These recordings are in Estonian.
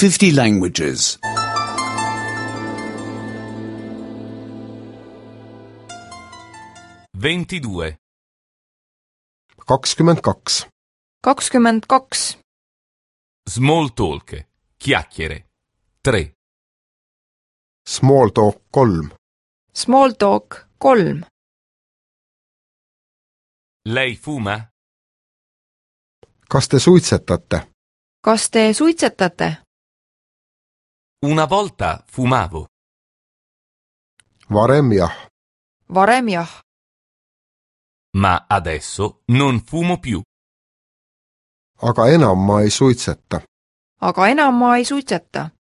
50 languages. 22. 22. 22. Small talk. Chiacchiere. 3. Small talk 3. Small talk 3. Lei fuma? Kas te suitsetate? Kas te suitsetate? Una volta fumavo. Varem jah. Varem jah. Ma adesso non fumo più. Aga enam ma ei suitseta. Aga enam ma ei suitseta.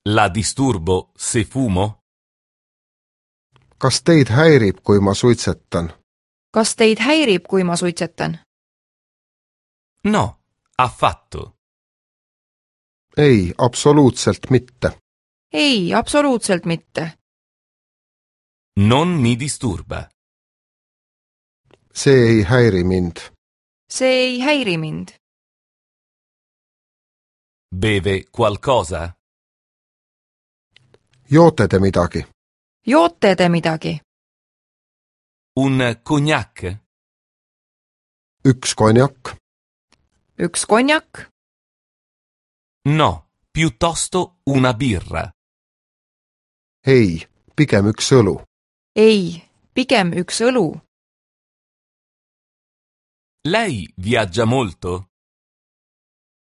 La disturbo se fumo? Kas teid häirib, kui ma suitsetan? Kas teid häirib, kui ma suitsetan? No, affatto. Ei, absoluutselt mitte. Ei, absoluutselt mitte. Non mi disturba. See ei häiri mind. See ei häiri mind. Beve qualcosa? Joote te midagi? Joote te midagi? Un cognac? Üks konjak? Üks konjak? No, piuttosto una birra. Ei, pigem üks õlu. Ei, pigem üks õlu. Lei viaggia molto?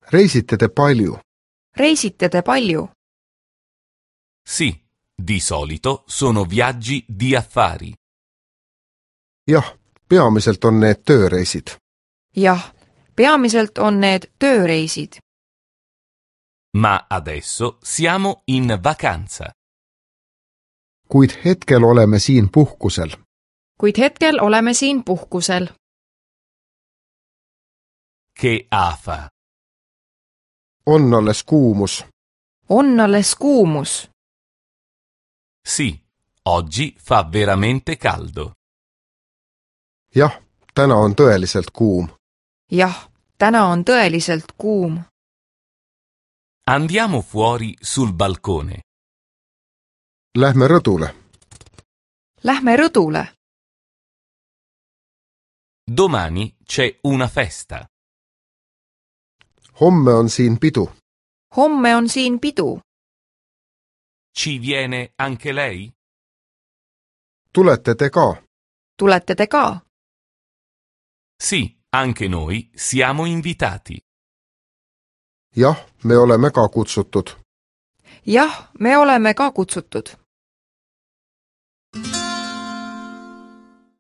Reisite te palju? Reisite te palju? Sì, di solito sono viaggi di affari. Jah, peamiselt on need tööreisid. Jah, peamiselt on need tööreisid. Ma adesso siamo in vacanza. Kuid hetkel oleme siin puhkusel. Kuid hetkel oleme siin puhkusel. Che afa. On alles kuumus. On alles kuumus. Sì, oggi fa veramente caldo. Jah, täna on tõeliselt kuum. Jah, täna on tõeliselt kuum. Andiamo fuori sul balcone. Lähme rõdule. Lähme rõdule. Domani c'è una festa. Homme on siin pidu. Homme on siin pidu. Ci viene anche lei? Tulete te ka? Tulete te ka? Sì, anche noi siamo invitati. Jah, me oleme ka kutsutud. Jah, me oleme ka kutsutud.